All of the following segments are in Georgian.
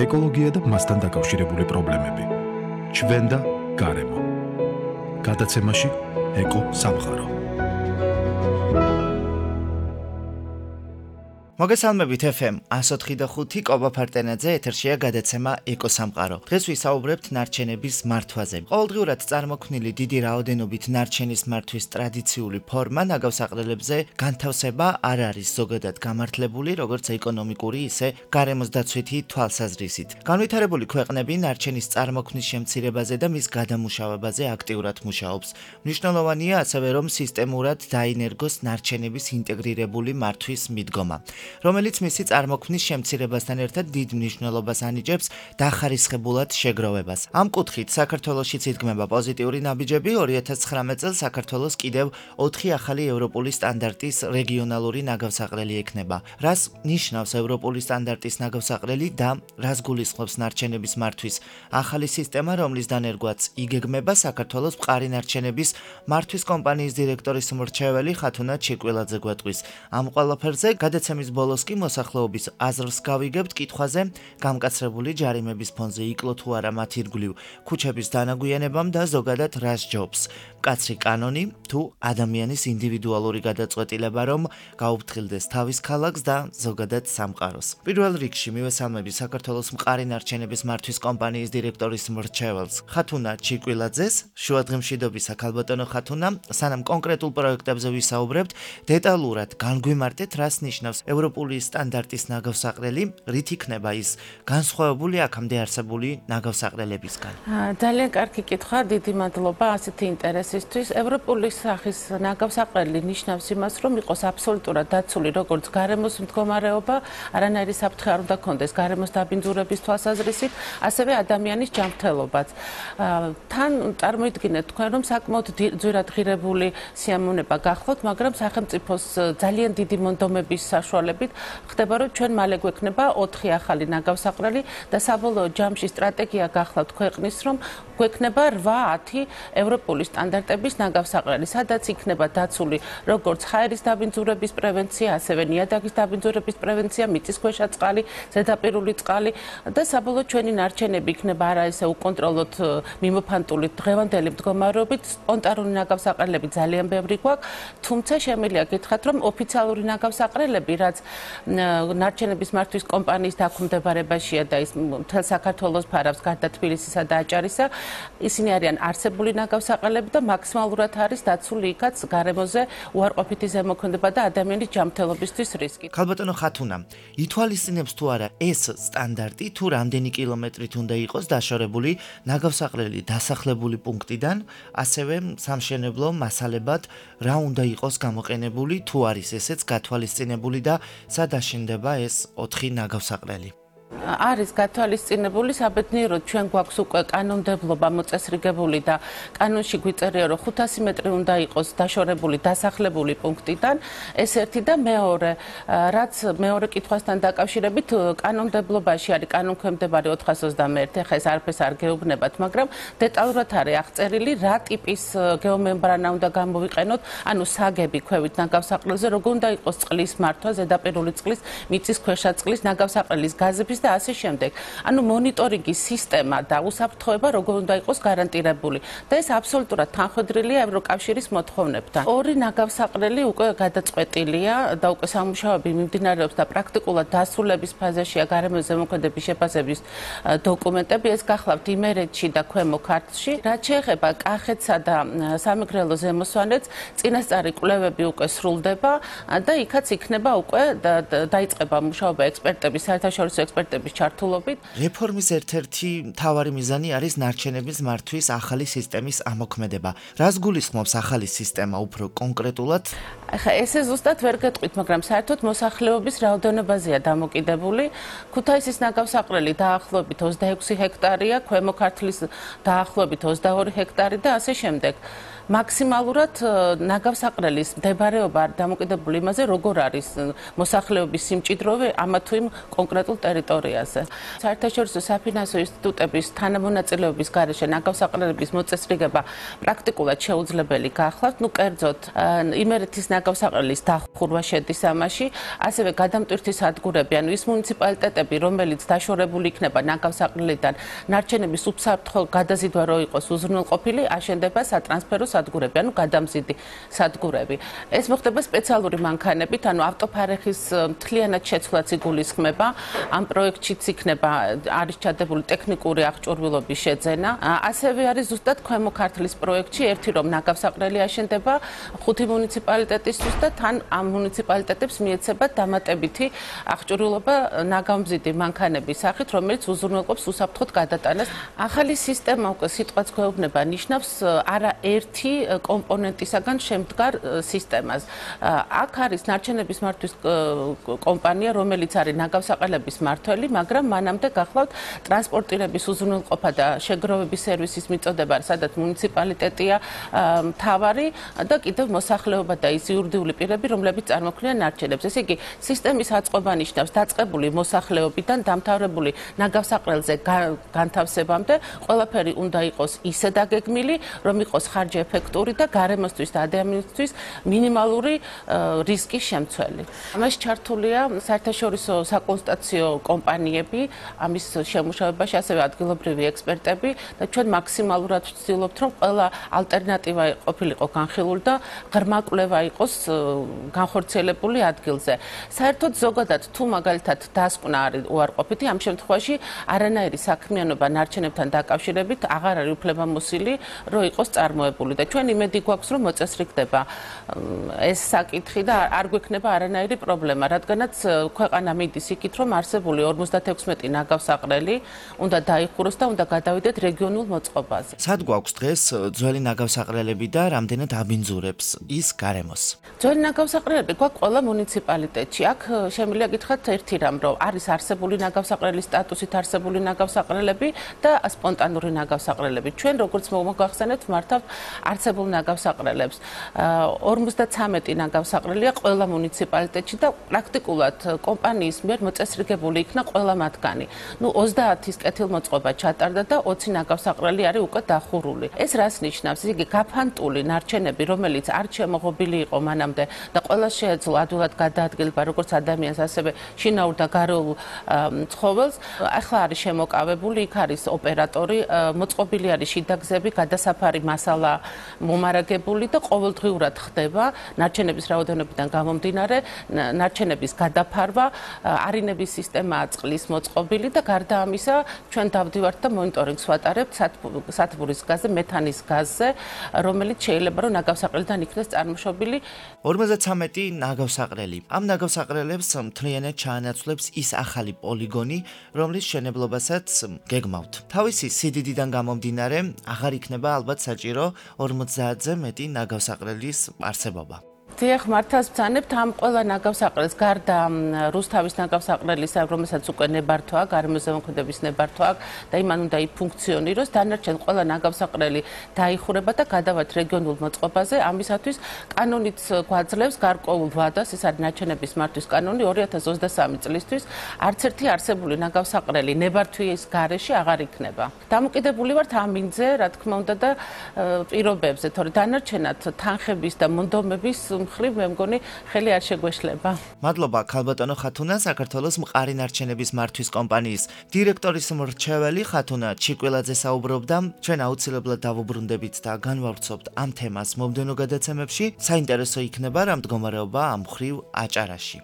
ეკოლოგია და მასთან დაკავშირებული პრობლემები. ჩვენ და გარემო. გადაცემაში ეკო სამყარო. მოგესალმებით FM 104.5 კობა ფარტენაძე ეთერშია გადაცემა ეკო სამყარო. დღეს ვისაუბრებთ ნარჩენების მართვაზე. ყოველდღიურად წარმოქმნილი დიდი რაოდენობით ნარჩენის მართვის ტრადიციული ფორმა ნაგავსაყრელებზე განთავსება არ არის ზოგადად გამართლებული, როგორც ეკონომიკური, ისე გარემოს დაცვითი თვალსაზრისით. განვითარებული ქვეყნები ნარჩენის წარმოქმნის შემცირებაზე და მის გადამუშავებაზე აქტიურად მუშაობს. მნიშვნელოვანია ასევე, რომ სისტემურად დაინერგოს ნარჩენების ინტეგრირებული მართვის მიდგომა, რომელიც მისი წარმოქმნის შემცირებასთან ერთად დიდ მნიშვნელობას ანიჭებს დახარისხებულად შეგროვებას. ამ კუთხით საქართველოშიც იდგმება პოზიტიური ნაბიჯები. 2019 წელს საქართველოს კიდევ 4 ახალი ევროპული სტანდარტის რეგიონალური ნაგავსაყრელი ექნება. რას ნიშნავს ევროპული სტანდარტის ნაგავსაყრელი და რას გულისხმობს ნარჩენების მართვის ახალი სისტემა, რომლის დანერგვაც იგეგმება საქართველოს მყარი ნარჩენების მართვის კომპანიის დირექტორის მრჩეველი ხათუნა ჩირკვილაძე გვეტყვის. ამ ყველაფერზე გადაცემის ბოლოს კი მოსახლეობის აზრს გავიგებთ კითხვაზე, გამკაცრებული ჯარიმების ფონზე იკლო თუ არა მათ ირგვლივ ქუჩების დანაგვიანებამ და ზოგადად რას ჯობს. მკაცრი კანონი თუ ადამიანის ინდივიდუალური გადაწყვეტილება, რომ გაუფრთხილდეს თავის ქალაქს და ზოგადად სამყაროს. პირველ რიგში მივესალმები საქართველოს მყარი ნარჩენების მართვის კომპანიის დირექტორის მრჩეველს ხათუნა ჩირკვილაძეს. შუადღემშვიდობისა ქალბატონო ხათუნა, სანამ კონკრეტულ პროექტებზე ვისაუბრებთ, დეტალურად განგვიმარტეთ, რას ნიშნავს ევროპული სტანდარტის ნაგავსაყრელი, რით იქნება ის განსხვავებული აქამდე არსებული ნაგავსაყრელებისგან? ძალიან კარგი კითხვა, დიდი მადლობა ასეთი ინტერესისთვის. ევროპული სახის ნაგავსაყრელი ნიშნავს იმას, რომ იყოს აბსოლუტურად დაცული როგორც გარემოს მდგომარეობა, არანაირი საფრთხე არ უნდა კონდეს გარემოს დაბინძურების თვალსაზრისით, ასევე ადამიანის ჯანმრთელობაც. თან წარმოიდგინეთ თქვენ, რომ საკმაოდ ძვირად ღირებული სიამოვნება გახლავთ, მაგრამ სახელმწიფოს ძალიან დიდი მონდომების საშუალებით ხდება, რომ ჩვენ მალე გვექნება 4 ახალი ნაგავსაყრელი და საბოლოო ჯამში სტრატეგია გახლავთ ქვეყნის, რომ გვექნება 8-10 ევროპული სტანდარტების ნაგავსაყრელი, სადაც იქნება დაცული როგორც ჰაერის დაბინძურების პრევენცია, ასევე ნიადაგის დაბინძურების პრევენცია, მიწისქვეშა წყალი, ზედაპირული წყალი და საბოლოოდ ჩვენი ნარჩენები იქნება არა ესე უკონტროლოდ მიმოფანტული დღევანდელი მდგომარეობით. სპონტანური ნაგავსაყრელები ძალიან ბევრი გვაქვს, თუმცა შემიძლია გითხრათ, რომ ოფიციალური ნაგავსაყრელები, რაც ნარჩენების მართვის კომპანიის დაქვემდებარებაშია და ის მთელ საქართველოს ფარავს გარდა თბილისისა და აჭარისა, ისინი არიან არსებული ნაგავსაყრელები და მაქსიმალურად არის დაცული იქაც გარემოზე უარყოფითი ზემოქმედება და ადამიანის ჯანმრთელობისთვის რისკი. ქალბატონო ხათუნა, ითვალისწინებს თუ არა ეს სტანდარტი, თუ რამდენი კილომეტრით უნდა იყოს დაშორებული ნაგავსაყრელი დასახლებული პუნქტიდან, ასევე სამშენებლო მასალებად რა უნდა იყოს გამოყენებული, თუ არის ესეც გათვალისწინებული და სად აშენდება ეს 4 ნაგავსაყრელი? არის გათვალისწინებული, საბედნიეროდ ჩვენ გვაქვს უკვე კანონმდებლობა მოწესრიგებული და კანონში გვიწერია, რომ 500 მეტრი უნდა იყოს დაშორებული დასახლებული პუნქტიდან. ეს ერთი და მეორე, რაც მეორე კითხვასთან დაკავშირებით, კანონმდებლობაში არის კანონქვემდებარე 421, ახლა ეს არაფერს არ გეუბნებათ, მაგრამ დეტალურად არის აღწერილი, რა ტიპის გეომემბრანა უნდა გამოვიყენოთ, ანუ საგები ქვევით ნაგავსაყრელზე, როგორ უნდა იყოს წყლის მართვა, ზედაპირული წყლის, მიწისქვეშა წყლის, ნაგავსაყრელის გაზების და ასე შემდეგ. ანუ მონიტორინგის სისტემა და უსაფრთხოება როგორ უნდა იყოს გარანტირებული. და ეს აბსოლუტურად თანხვედრილია ევროკავშირის მოთხოვნებთან. 2 ნაგავსაყრელი უკვე გადაწყვეტილია და უკვე სამუშაოები მიმდინარეობს და პრაქტიკულად დასრულების ფაზაშია გარემოს ზემოქმედების შეფასების დოკუმენტები. ეს გახლავთ იმერეთში და ქვემო ქართლში. რაც შეეხება კახეთსა და სამეგრელო ზემოსვანეთს, წინასწარი კვლევები უკვე სრულდება და იქაც იქნება უკვე დაიწყება მუშაობა ექსპერტების, საერთაშორისო ექსპერტების ჩართულობით. რეფორმის ერთ-ერთი მთავარი მიზანი არის ნარჩენების მართვის ახალი სისტემის ამოქმედება. რას გულისხმობს ახალი სისტემა უფრო კონკრეტულად? ახლა ესე ზუსტად ვერ გეტყვით, მაგრამ საერთოდ მოსახლეობის რაოდენობაზეა დამოკიდებული. ქუთაისის ნაგავსაყრელი დაახლოებით 26 ჰექტარია, ქვემო ქართლის დაახლოებით 22 ჰექტარი და ასე შემდეგ. მაქსიმალურად ნაგავსაყრელის მდებარეობა არ დამოკიდებული იმაზე, როგორ არის მოსახლეობის სიმჭიდროვე ამა თუ იმ კონკრეტულ ტერიტორიაზე. საერთაშორისო საფინანსო ინსტიტუტების თანამონაწილეობის გარეშე ნაგავსაყრელების მოწესრიგება პრაქტიკულად შეუძლებელი გახლავთ. კერძოდ, იმერეთის ნაგავსაყრელის დახურვა შედის ამაში, ასევე გადამტვირთი სადგურები, ანუ ის მუნიციპალიტეტები, რომელიც დაშორებული იქნება ნაგავსაყრელიდან, ნარჩენების უსაფრთხო გადაზიდვა რო იყოს უზრუნველყოფილი, აშენდება სატრანსფერო სადგურები, ანუ გადამზიდი სადგურები. ეს მოხდება სპეციალური მანქანებით, ანუ ავტოფარეხის მთლიანად შეცვლაც იგულისხმება. ამ პროექტშიც იქნება არის ჩადებული ტექნიკური აღჭურვილობის შეძენა. ასევე არის ზუსტად ქვემო ქართლის პროექტში ერთი რომ ნაგავსაყრელი აშენდება 5 მუნიციპალიტეტისთვის და თან ამ მუნიციპალიტეტებს მიეცება დამატებითი აღჭურვილობა ნაგავმზიდი მანქანების სახით, რომელიც უზრუნველყოფს უსაფრთხოდ გადატანას. ახალი სისტემა უკვე სიტყვაც გვეუბნება ნიშნავს არა ერთი კომპონენტისაგან შემდგარ სისტემას. აქ არის ნარჩენების მართვის კომპანია, რომელიც არის ნაგავსაყრელების მმართველი, მაგრამ მანამდე გახლავთ ტრანსპორტირების უზრუნველყოფა და შეგროვების სერვისის მიწოდება, სადაც მუნიციპალიტეტია მთავარი და კიდევ მოსახლეობა და ის იურიდიული პირები, რომლებიც წარმოქმნიან ნარჩენებს. ესე იგი, სისტემის აწყობა ნიშნავს დაწყებული მოსახლეობიდან დამთავრებული ნაგავსაყრელზე განთავსებამდე ყველაფერი უნდა იყოს ისე დაგეგმილი, რომ იყოს ხარჯი-ეფექტური და გარემოსთვის და ადამიანისთვის მინიმალური რისკის შემცველი. ამაში ჩართულია საერთაშორისო საკონსულტაციო კომპანიები, ამის შემუშავებაში ასევე ადგილობრივი ექსპერტები და ჩვენ მაქსიმალურად ვცდილობთ, რომ ყველა ალტერნატივა ყოფილიყო განხილული და ღრმა კვლევა იყოს განხორციელებული ადგილზე. საერთოდ ზოგადად თუ მაგალითად დასკვნა არის უარყოფითი, ამ შემთხვევაში არანაირი საქმიანობა ნარჩენებთან დაკავშირებით აღარ არის უფლებამოსილი, რომ იყოს წარმოებული და ჩვენ იმედი გვაქვს, რომ მოწესრიგდება ეს საკითხი და არ გვექნება არანაირი პრობლემა, რადგანაც ქვეყანა მიდის იქით, რომ არსებული 56 ნაგავსაყრელი უნდა დაიხუროს და უნდა გადავიდეთ რეგიონულ მოწყობაზე. სად გვაქვს დღეს ძველი ნაგავსაყრელები და რამდენად აბინძურებს ის გარემოს? ძველი ნაგავსაყრელები გვაქვს ყველა მუნიციპალიტეტში. აქ შემიძლია გითხრათ ერთი რამ, რომ არის არსებული ნაგავსაყრელის სტატუსით არსებული ნაგავსაყრელები და სპონტანური ნაგავსაყრელები. ჩვენ როგორც მოგახსენებთ, მართავთ არსებულ ნაგავსაყრელებს. 53 ნაგავსაყრელია ყველა მუნიციპალიტეტში და პრაქტიკულად კომპანიის მიერ მოწესრიგებული იქნა ყველა მათგანი. 30-ის კეთილმოწყობა ჩატარდა და 20 ნაგავსაყრელი არის უკვე დახურული. ეს რას ნიშნავს? იგი გაფანტული ნარჩენები, რომელიც არ შემოღობილი იყო მანამდე და ყველა შეეძლო ადვილად გადაადგილება როგორც ადამიანს, ასევე შინაურ და გარეულ ცხოველს. ახლა არის შემოკავებული, იქ არის ოპერატორი, მოწყობილი არის შიდაგზები, გადასაფარი მასალა მომარაგებული და ყოველდღიურად ხდება ნარჩენების რაოდენობიდან გამომდინარე, ნარჩენების გადაფარვა, არინების სისტემაა წყლის მოწყობილი და გარდა ამისა, ჩვენ დავდივართ და მონიტორინგს ვატარებთ სათბურის გაზზე, მეთანის გაზზე, რომელიც შეიძლება რომ ნაგავსაყრელიდან იქნეს წარმოშობილი. 53 ნაგავსაყრელი. ამ ნაგავსაყრელებს მთლიანად ჩაანაცვლებს ის ახალი პოლიგონი, რომლის მშენებლობასაც გეგმავთ. თავისი სიდიდიდან გამომდინარე, აღარ იქნება ალბათ საჭირო 50-ზე მეტი ნაგავსაყრელის არსებობა. დიახ, მართავს ვცანებთ ამ ყველა ნაგავსაყრელს გარდა რუსთავის ნაგავსაყრელის, რომელსაც უკვე ნებართვა აქვს, გარემოზემოქმედების ნებართვა აქვს და იმან უნდა იფუნქციონიროს, დანარჩენ ყველა ნაგავსაყრელი დაიხურება და გადავართ რეგიონულ მოწყობაზე. ამისათვის კანონიც გვაძლევს გარკვეულ ვადას, ეს არის ნარჩენების მართვის კანონი 2023 წლისთვის, არც ერთი არსებული ნაგავსაყრელი ნებართვის გარეშე აღარ იქნება. დამოკიდებული ვართ ამ მინძზე, რა თქმა უნდა და პირობებზე, თორე დანარჩენად თანხების და მონდომების მხრივ მე მგონი ხელი არ შეგვეშლება. მადლობა ქალბატონო ხათუნა, საქართველოს მყარი ნარჩენების მართვის კომპანიის დირექტორის მრჩეველი ხათუნა ჩიკვილაძე საუბრობდა. ჩვენ აუცილებლად დავუბრუნდებით და განვავრცობთ ამ თემას მომდევნო გადაცემებში. საინტერესო იქნება რა მდგომარეობა ამ მხრივ აჭარაში.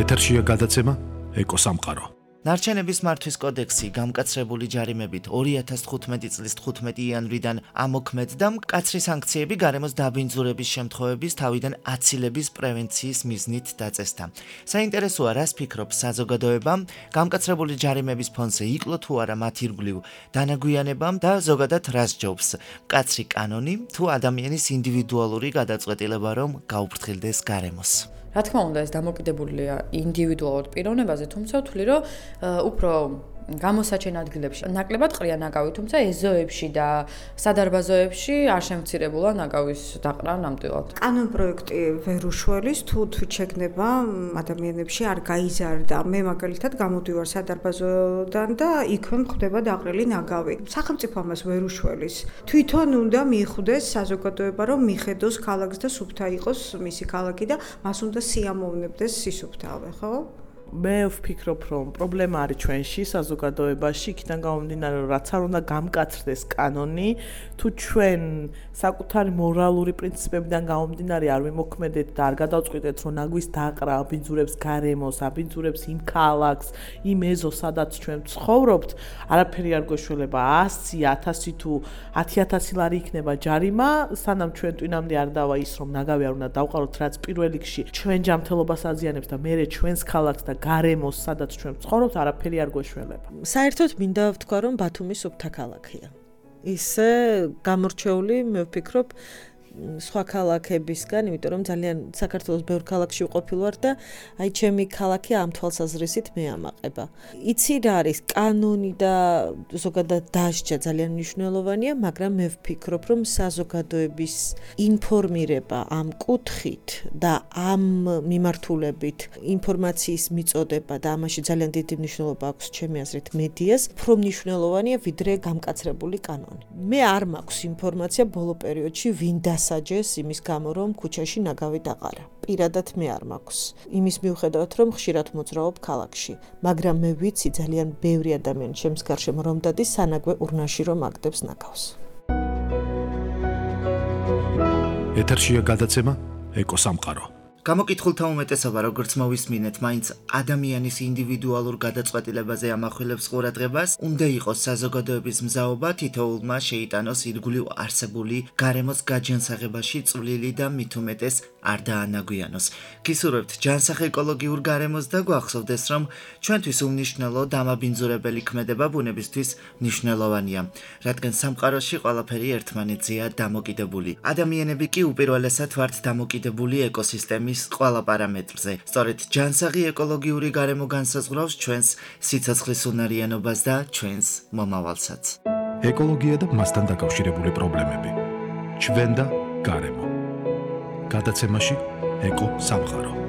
ეთერშია გადაცემა ეკოსამყარო. ნარჩენების მართვის კოდექსი გამკაცრებული ჯარიმებით 2015 წლის 15 იანვრიდან ამოქმედ და მკაცრი სანქციები გარემოს დაბინძურების შემთხვევების თავიდან აცილების პრევენციის მიზნით დაწესდა. საინტერესოა, რას ფიქრობს საზოგადოება, გამკაცრებული ჯარიმების ფონზე იკლო თუ არა მათ ირგვლივ დანაგვიანებამ და ზოგადად რას ჯობს მკაცრი კანონი თუ ადამიანის ინდივიდუალური გადაწყვეტილება რომ გაუფრთხილდეს გარემოს. რა თქმა უნდა, ეს დამოკიდებულია ინდივიდუალურ პიროვნებაზე, თუმცა ვთვლი, რომ უფრო გამოსაჩენ ადგილებში ნაკლებად ყრია ნაგავი, თუმცა ეზოებში და სადარბაზოებში არ შემცირებულა ნაგავის დაყრა ნამდვილად. კანონპროექტი ვერ უშველის, თუ შეგნება ადამიანებში არ გაიზარდა. მე მაგალითად გამოდივარ სადარბაზოდან და იქვე მხდება დაყრილი ნაგავი. სახელმწიფო ამას ვერ უშველის. თვითონ უნდა მიხვდეს საზოგადოება, რომ მიხედოს ქალაქს და სუფთა იყოს მისი ქალაქი და მას უნდა სიამოვნებდეს სისუფთავე, ხო? მე ვფიქრობ, რომ პრობლემა არის ჩვენში, საზოგადოებაში, იქიდან გამომდინარე, რომ რაც არ უნდა გამკაცრდეს კანონი, თუ ჩვენ საკუთარი მორალური პრინციპებიდან გამომდინარე არ ვიმოქმედეთ და არ გადავწყვიტეთ, რომ ნაგვის დაყრა აბინძურებს გარემოს, აბინძურებს იმ ქალაქს, იმ ეზოს, სადაც ჩვენ ცხოვრობთ, არაფერი არ გვეშველება 100, 1000 თუ 10000 ლარი იქნება ჯარიმა, სანამ ჩვენ ტვინამდე არ დავა ის, რომ ნაგავი არ უნდა დავყაროთ, რაც პირველ რიგში ჩვენ ჯანმრთელობას აზიანებს და მერე ჩვენს ქალაქს და გარემოს, სადაც ჩვენ ცხოვრობთ, არაფერი არ გვეშველება. საერთოდ მინდა ვთქვა, რომ ბათუმი სუფთა ქალაქია. ისე გამორჩეული, მე ვფიქრობ, სხვა ქალაქებისგან, იმიტომ რომ ძალიან საქართველოს ბევრ ქალაქში ვყოფილ ვარ და აი ჩემი ქალაქი ამ თვალსაზრისით მეამაყება. იცი რა არის კანონი და ზოგადად დასჯა ძალიან მნიშვნელოვანია, მაგრამ მე ვფიქრობ, რომ საზოგადოების ინფორმირება ამ კუთხით და ამ მიმართულებით ინფორმაციის მიწოდება და ამაში ძალიან დიდი მნიშვნელობა აქვს ჩემი აზრით მედიას, უფრო მნიშვნელოვანია ვიდრე გამკაცრებული კანონი. მე არ მაქვს ინფორმაცია ბოლო პერიოდში ვინ დასაჯეს იმის გამო, რომ ქუჩაში ნაგავი დაყარა. პირადად მე არ მაქვს. იმის მიუხედავად, რომ ხშირად მოძრაობ ქალაქში, მაგრამ მე ვიცი ძალიან ბევრი ადამიანი ჩემს გარშემო რომ დადის სანაგვე ურნაში რომ აგდებს ნაგავს. ეთერშია გადაცემა ეკოსამყარო. გამოკითხულთა უმეტესობა, როგორც მოვისმინეთ, მაინც ადამიანის ინდივიდუალურ გადაწყვეტილებაზე ამახვილებს ყურადღებას, უნდა იყოს საზოგადოების მზაობა თითოეულმა შეიტანოს ირგვლივ არსებული გარემოს გაჯანსაღებაში წვლილი და მით უმეტეს არ დაანაგვიანოს. გისურვებთ ჯანსაღ ეკოლოგიურ გარემოს და გვახსოვდეს, რომ ჩვენთვის უმნიშვნელო დამაბინძურებელი ქმედება ბუნებისთვის მნიშვნელოვანია, რადგან სამყაროში ყველაფერი ერთმანეთზეა დამოკიდებული. ადამიანები კი უპირველესად ვართ დამოკიდებული ეკოსისტემის ყველა პარამეტრზე. სწორედ ჯანსაღი ეკოლოგიური გარემო განსაზღვრავს ჩვენს სიცოცხლის უნარიანობას და ჩვენს მომავალსაც. ეკოლოგია და მასთან დაკავშირებული პრობლემები. ჩვენ და გარემო. გადაცემაში ეკო სამყარო.